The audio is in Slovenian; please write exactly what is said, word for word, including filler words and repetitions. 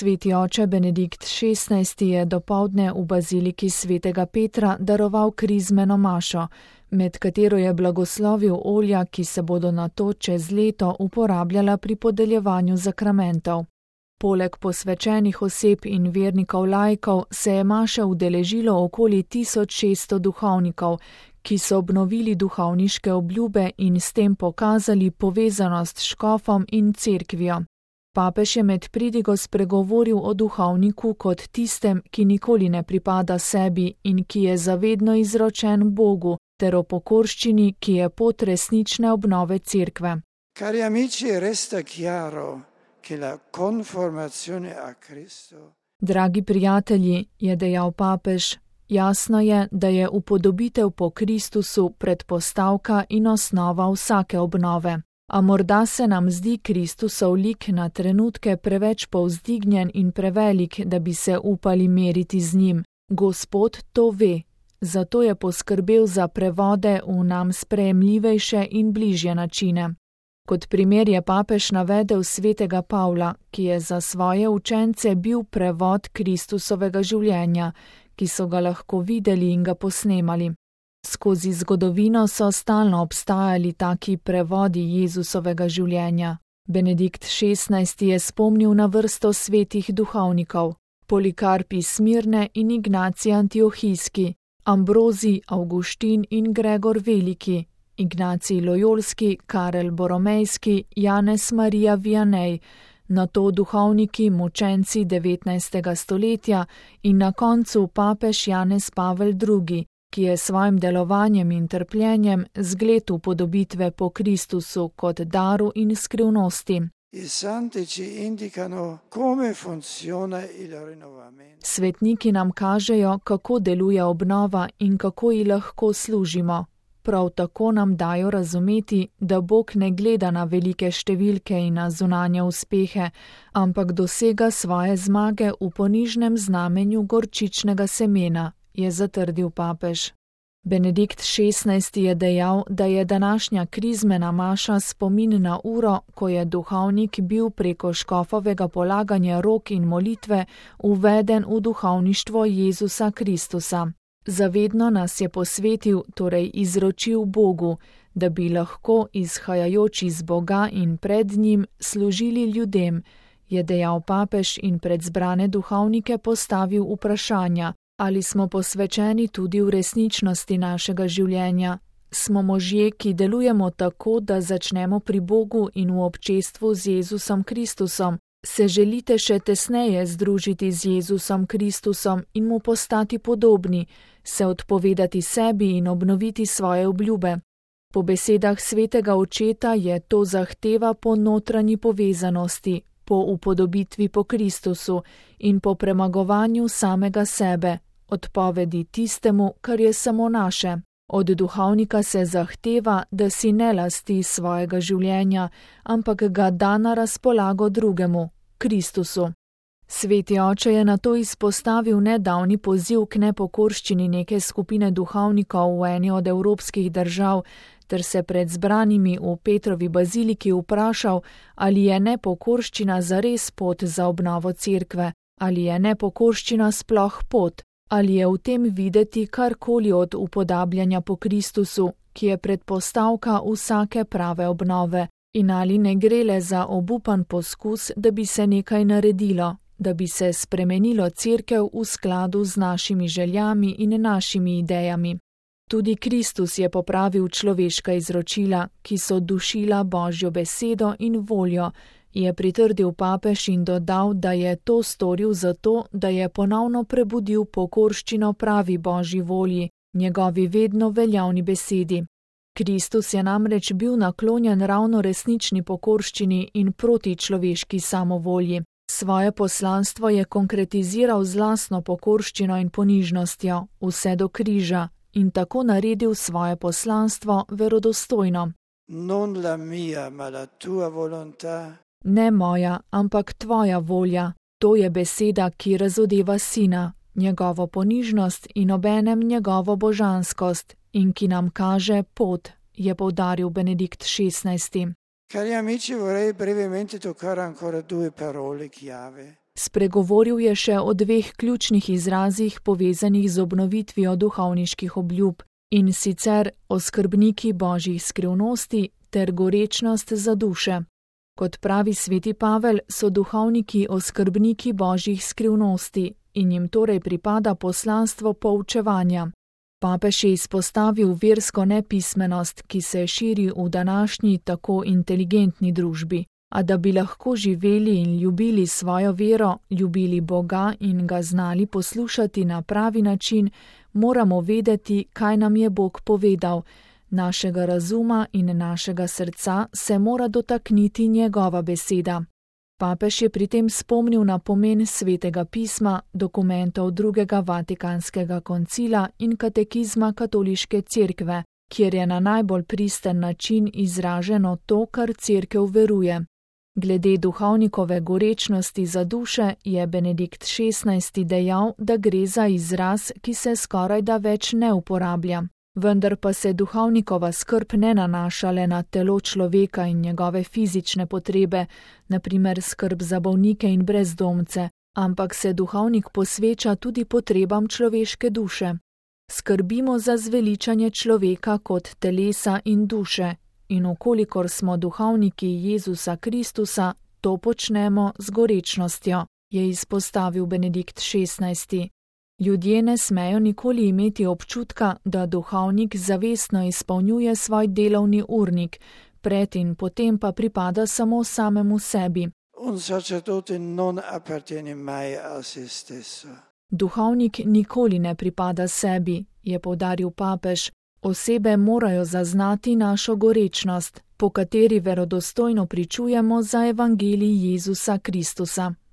Sveti oče Benedikt šestnajsti je dopoldne v baziliki svetega Petra daroval krizmeno mašo, med katero je blagoslovil olja, ki se bodo nato čez leto uporabljala pri podeljevanju zakramentov. Poleg posvečenih oseb in vernikov laikov se je maše udeležilo okoli tisoč šeststo duhovnikov, ki so obnovili duhovniške obljube in s tem pokazali povezanost s škofom in cerkvijo. Papež je med pridigo spregovoril o duhovniku kot tistem, ki nikoli ne pripada sebi in ki je zavedno izročen Bogu, ter o pokorščini, ki je pot resnične obnove cerkve. Cari amici, resta chiaro che la conformazione a Cristo. Dragi prijatelji, je dejal papež, jasno je, da je upodobitev po Kristusu predpostavka in osnova vsake obnove. A morda se nam zdi Kristusov lik na trenutke preveč povzdignjen in prevelik, da bi se upali meriti z njim. Gospod to ve, zato je poskrbel za prevode v nam sprejemljivejše in bližje načine. Kot primer je papež navedel svetega Pavla, ki je za svoje učence bil prevod Kristusovega življenja, ki so ga lahko videli in ga posnemali. Skozi zgodovino so stalno obstajali taki prevodi Jezusovega življenja. Benedikt šestnajsti je spomnil na vrsto svetih duhovnikov, Polikarp iz Smirne in Ignacij Antiohijski, Ambrozij, Avguštin in Gregor Veliki, Ignacij Lojolski, Karel Boromejski, Janez Marija Vianney, nato duhovniki mučenci devetnajstega stoletja in na koncu papež Janez Pavel drugi, ki je svojim delovanjem in trpljenjem zgled upodobitve po Kristusu kot daru in skrivnosti. Svetniki nam kažejo, kako deluje obnova in kako ji lahko služimo. Prav tako nam dajo razumeti, da Bog ne gleda na velike številke in na zunanje uspehe, ampak dosega svoje zmage v ponižnem znamenju gorčičnega semena, je zatrdil papež. Benedikt šestnajsti je dejal, da je današnja krizmena maša spomin na uro, ko je duhovnik bil preko škofovega polaganja rok in molitve uveden v duhovništvo Jezusa Kristusa. Zavedno nas je posvetil, torej izročil Bogu, da bi lahko, izhajajoč iz Boga in pred njim, služili ljudem, je dejal papež in pred zbrane duhovnike postavil vprašanja, ali smo posvečeni tudi v resničnosti našega življenja. Smo možje, ki delujemo tako, da začnemo pri Bogu in v občestvu z Jezusom Kristusom. Se želite še tesneje združiti z Jezusom Kristusom in mu postati podobni, se odpovedati sebi in obnoviti svoje obljube. Po besedah svetega očeta je to zahteva po notranji povezanosti, po upodobitvi po Kristusu in po premagovanju samega sebe, odpovedi tistemu, kar je samo naše. Od duhovnika se zahteva, da si ne lasti svojega življenja, ampak ga da na razpolago drugemu, Kristusu. Sveti oče je nato izpostavil nedavni poziv k nepokorščini neke skupine duhovnikov v eni od evropskih držav, ter se pred zbranimi v Petrovi baziliki vprašal, ali je nepokorščina zares pot za obnovo cerkve, ali je nepokorščina sploh pot. Ali je v tem videti karkoli od upodabljanja po Kristusu, ki je predpostavka vsake prave obnove, in ali ne gre le za obupan poskus, da bi se nekaj naredilo, da bi se spremenilo cerkev v skladu z našimi željami in našimi idejami. Tudi Kristus je popravil človeška izročila, ki so dušila Božjo besedo in voljo, je pritrdil papež in dodal, da je to storil zato, da je ponovno prebudil pokorščino pravi Božji volji, njegovi vedno veljavni besedi. Kristus je namreč bil naklonjen ravno resnični pokorščini in proti človeški samovolji. Svoje poslanstvo je konkretiziral z lastno pokorščino in ponižnostjo, vse do križa, in tako naredil svoje poslanstvo verodostojno. Non la mia, ma la tua volontà. Ne moja, ampak tvoja volja, to je beseda, ki razodeva sina, njegovo ponižnost in obenem njegovo božanskost in ki nam kaže pot, je poudaril Benedikt šestnajsti. Cari amici, vorrei brevemente toccare ancora due parole chiave. Spregovoril je še o dveh ključnih izrazih povezanih z obnovitvijo duhovniških obljub, in sicer o skrbniki božjih skrivnosti ter gorečnost za duše. Kot pravi sveti Pavel, so duhovniki oskrbniki božjih skrivnosti in jim torej pripada poslanstvo poučevanja. Papež je izpostavil versko nepismenost, ki se širi v današnji tako inteligentni družbi, a da bi lahko živeli in ljubili svojo vero, ljubili Boga in ga znali poslušati na pravi način, moramo vedeti, kaj nam je Bog povedal. Našega razuma in našega srca se mora dotakniti njegova beseda. Papež je pri tem spomnil na pomen Svetega pisma, dokumentov drugega Vatikanskega koncila in katekizma Katoliške cerkve, kjer je na najbolj pristen način izraženo to, kar cerkev veruje. Glede duhovnikove gorečnosti za duše je Benedikt šestnajsti dejal, da gre za izraz, ki se skorajda več ne uporablja. Vendar pa se duhovnikova skrb ne nanaša le na telo človeka in njegove fizične potrebe, na primer skrb za bolnike in brezdomce, ampak se duhovnik posveča tudi potrebam človeške duše. Skrbimo za zveličanje človeka kot telesa in duše, in okolikor smo duhovniki Jezusa Kristusa, to počnemo z gorečnostjo, je izpostavil Benedikt šestnajsti. Ljudje ne smejo nikoli imeti občutka, da duhovnik zavestno izpolnjuje svoj delovni urnik, pred in potem pa pripada samo samemu sebi. Un sacerdote non appartiene mai a se stesso. Duhovnik nikoli ne pripada sebi, je poudaril papež. Osebe morajo zaznati našo gorečnost, po kateri verodostojno pričujemo za evangelij Jezusa Kristusa.